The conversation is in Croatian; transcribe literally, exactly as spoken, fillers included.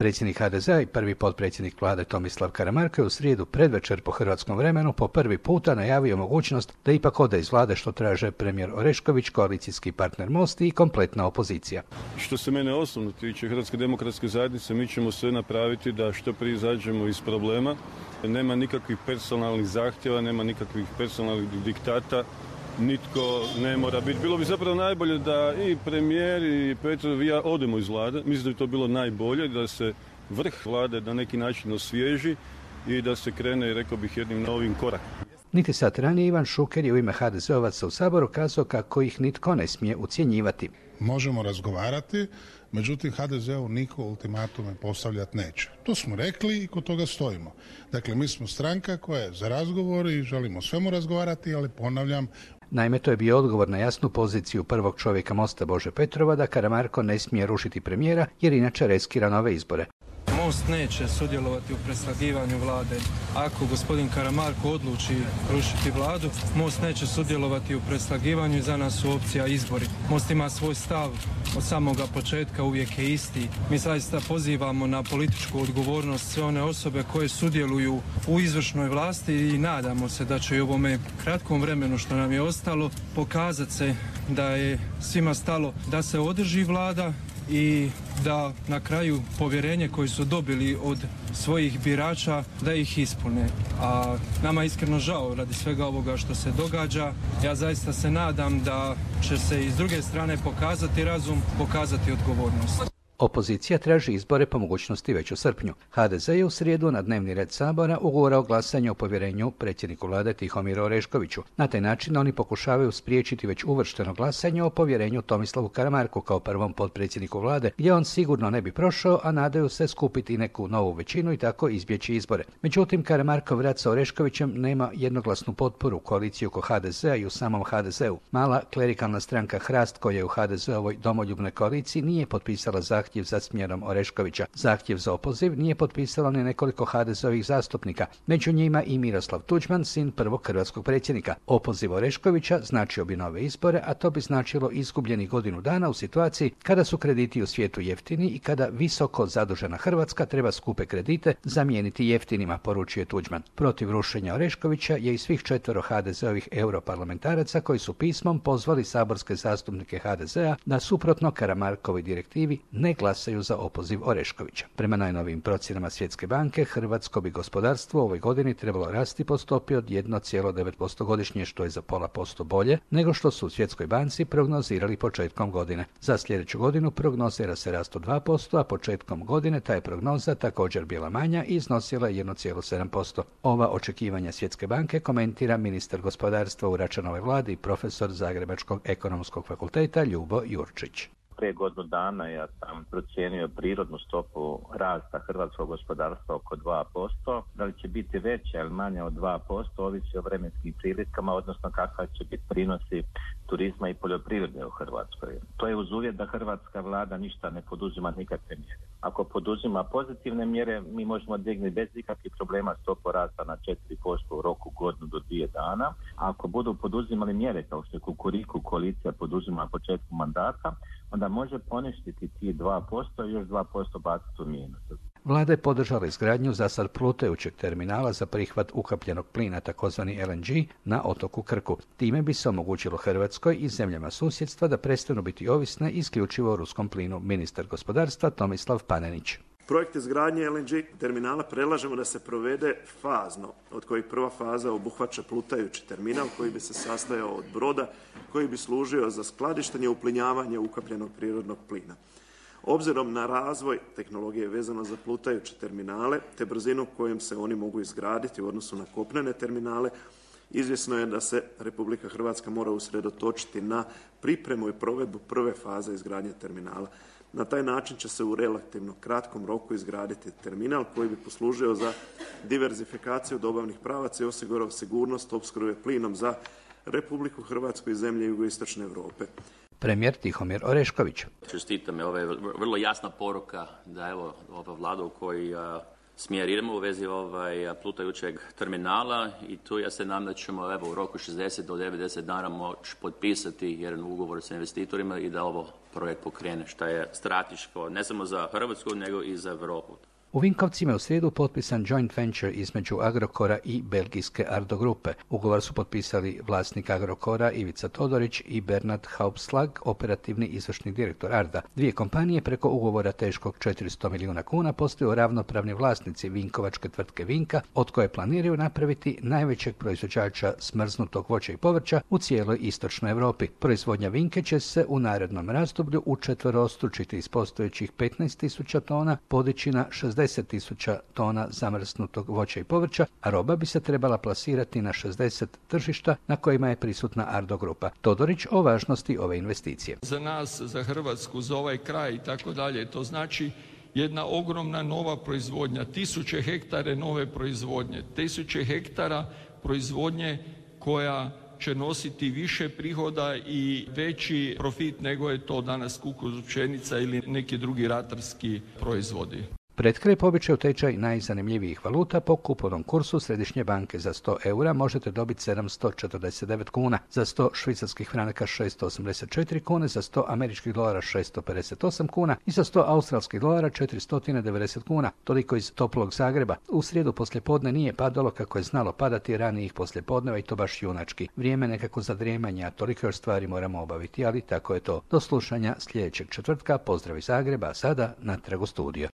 Predsjednik ha de zea i prvi potpredsjednik vlade Tomislav Karamarko je u srijedu predvečer po hrvatskom vremenu po prvi puta najavio mogućnost da ipak ode iz vlade, što traže premijer Orešković, koalicijski partner Most i kompletna opozicija. Što se mene osobno tiče Hrvatske demokratske zajednice, mi ćemo sve napraviti da što prije izađemo iz problema. Nema nikakvih personalnih zahtjeva, nema nikakvih personalnih diktata. Nitko ne mora biti. Bilo bi zapravo najbolje da i premijer i Petrov i ja odemo iz vlade. Mislim da bi to bilo najbolje, da se vrh vlade na neki način osvježi i da se krene, rekao bih, jednim novim korakom. Niti sat ranije Ivan Šuker je u ime ha de zeovaca u Saboru kazao kako ih nitko ne smije ucjenjivati. Možemo razgovarati, međutim ha de zeu niko ultimatume postavljati neće. To smo rekli i kod toga stojimo. Dakle, mi smo stranka koja je za razgovor i želimo o svemu razgovarati, ali ponavljam. Naime, to je bio odgovor na jasnu poziciju prvog čovjeka Mosta Bože Petrova da Karamarko ne smije rušiti premijera jer inače riskira nove izbore. Most neće sudjelovati u preslagivanju vlade. Ako gospodin Karamarko odluči rušiti vladu, Most neće sudjelovati u preslagivanju i za nas su opcija izbori. Most ima svoj stav od samoga početka, uvijek je isti. Mi zaista pozivamo na političku odgovornost sve one osobe koje sudjeluju u izvršnoj vlasti i nadamo se da će i u ovome kratkom vremenu što nam je ostalo pokazati se da je svima stalo da se održi vlada i da na kraju povjerenje koje su dobili od svojih birača da ih ispune. A nama je iskreno žao radi svega ovoga što se događa. Ja zaista se nadam da će se i s druge strane pokazati razum, pokazati odgovornost. Opozicija traži izbore po mogućnosti već u srpnju. ha de ze je u srijedu na dnevni red Sabora ugurao glasanje o povjerenju predsjedniku vlade Tihomiru Oreškoviću. Na taj način oni pokušavaju spriječiti već uvršteno glasanje o povjerenju Tomislavu Karamarku kao prvom potpredsjedniku vlade, gdje on sigurno ne bi prošao, a nadaju se skupiti neku novu većinu i tako izbjeći izbore. Međutim, Karamarkov rad sa Oreškovićem nema jednoglasnu potporu u koaliciji oko ha de zea i u samom ha de zeu. Mala klerikalna stranka Hrast, koja je u ha de zeovoj domoljubnoj koaliciji, nije potpisala zahtjev za smjenom Oreškovića. Zahtjev za opoziv nije potpisalo ni nekoliko ha de zeovih zastupnika, među njima i Miroslav Tuđman, sin prvog hrvatskog predsjednika. Opoziv Oreškovića značio bi nove izbore, a to bi značilo izgubljenih godinu dana u situaciji kada su krediti u svijetu jeftini i kada visoko zadužena Hrvatska treba skupe kredite zamijeniti jeftinima, poručuje Tuđman. Protiv rušenja Oreškovića je i svih četvero ha de zeovih europarlamentaraca koji su pismom pozvali saborske zastupnike ha de zea da suprotno Karamarkovoj direktivi ne glasaju za opoziv Oreškovića. Prema najnovijim procjenama Svjetske banke, hrvatsko bi gospodarstvo u ovoj godini trebalo rasti po stopi od jedan zarez devet posto godišnje, što je za pola posto bolje nego što su u Svjetskoj banci prognozirali početkom godine. Za sljedeću godinu prognozira se rast od dva posto, a početkom godine ta je prognoza također bila manja i iznosila jedan zarez sedam posto. Ova očekivanja Svjetske banke komentira ministar gospodarstva u Račanovoj vladi i profesor Zagrebačkog ekonomskog fakulteta Ljubo Jurčić. Prije godinu dana ja sam procijenio prirodnu stopu rasta hrvatskog gospodarstva oko dva posto. Da li će biti veća ili manja od dva posto ovisi o vremenskim prilikama, odnosno kakva će biti prinosi turizma i poljoprivrede u Hrvatskoj. To je uz uvjet da hrvatska vlada ništa ne poduzima nikakve mjere. Ako poduzima pozitivne mjere, mi možemo dignuti bez ikakvih problema stopu rasta na četiri posto u roku godinu do dvije dana. A ako budu poduzimali mjere kao što je Kukuriku koalicija poduzima početku mandata, onda može poništiti ti dva posto i još dva posto baciti u minus. Vlada je podržala izgradnju za sad plutajućeg terminala za prihvat ukapljenog plina, takozvani el en ge, na otoku Krku. Time bi se omogućilo Hrvatskoj i zemljama susjedstva da prestanu biti ovisne isključivo o ruskom plinu, ministar gospodarstva Tomislav Panenić. Projekt izgradnje el en ge terminala predlažemo da se provede fazno, od kojih prva faza obuhvaća plutajući terminal koji bi se sastojao od broda koji bi služio za skladištenje i uplinjavanje ukapljenog prirodnog plina. Obzirom na razvoj tehnologije vezano za plutajuće terminale te brzinu kojom se oni mogu izgraditi u odnosu na kopnene terminale, izvjesno je da se Republika Hrvatska mora usredotočiti na pripremu i provedbu prve faze izgradnje terminala. Na taj način će se u relativno kratkom roku izgraditi terminal koji bi poslužio za diverzifikaciju dobavnih pravaca i osigurao sigurnost opskrbe plinom za Republiku Hrvatsku i zemlje jugoistočne Europe. Premijer Tihomir Orešković. Čestitam je, ovo je vrlo jasna poruka da evo ova vlada u koji a, smjer idemo u vezi ovaj plutajućeg terminala i tu ja se nadam da ćemo evo u roku šezdeset do devedeset dana moći potpisati jedan ugovor sa investitorima i da ovo projekt pokrene, što je strateško ne samo za Hrvatsku, nego i za Europu. U Vinkovcima je u srijedu potpisan joint venture između Agrokora i belgijske Ardo grupe. Ugovor su potpisali vlasnik Agrokora Ivica Todorić i Bernard Hauptslag, operativni izvršni direktor Arda. Dvije kompanije preko ugovora teškog četiristo milijuna kuna postaju ravnopravni vlasnici vinkovačke tvrtke Vinka, od koje planiraju napraviti najvećeg proizvođača smrznutog voća i povrća u cijeloj istočnoj Europi. Proizvodnja Vinke će se u narednom razdoblju učetverostručiti iz postojećih petnaest tisuća tona podići na šezdeset tisuća tona zamrznutog voća i povrća, a roba bi se trebala plasirati na šezdeset tržišta na kojima je prisutna Ardo grupa. Todorić o važnosti ove investicije. Za nas, za Hrvatsku, za ovaj kraj i tako dalje, to znači jedna ogromna nova proizvodnja, tisuće hektare nove proizvodnje, tisuće hektara proizvodnje koja će nositi više prihoda i veći profit nego je to danas kukuruz, pšenica ili neki drugi ratarski proizvodi. Pred kraj po običaju tečaj najzanimljivijih valuta po kupovnom kursu Središnje banke za sto eura možete dobiti sedamsto četrdeset devet kuna, za sto švicarskih franaka šesto osamdeset četiri kune, za sto američkih dolara šesto pedeset osam kuna i za sto australskih dolara četiristo devedeset kuna. Toliko iz toplog Zagreba. U srijedu poslijepodne nije padalo kako je znalo padati ranijih poslijepodneva i to baš junački. Vrijeme nekako za drijemanje, a toliko još stvari moramo obaviti, ali tako je to. Do slušanja sljedećeg četvrtka. Pozdrav iz Zagreba, a sada natrag u studio.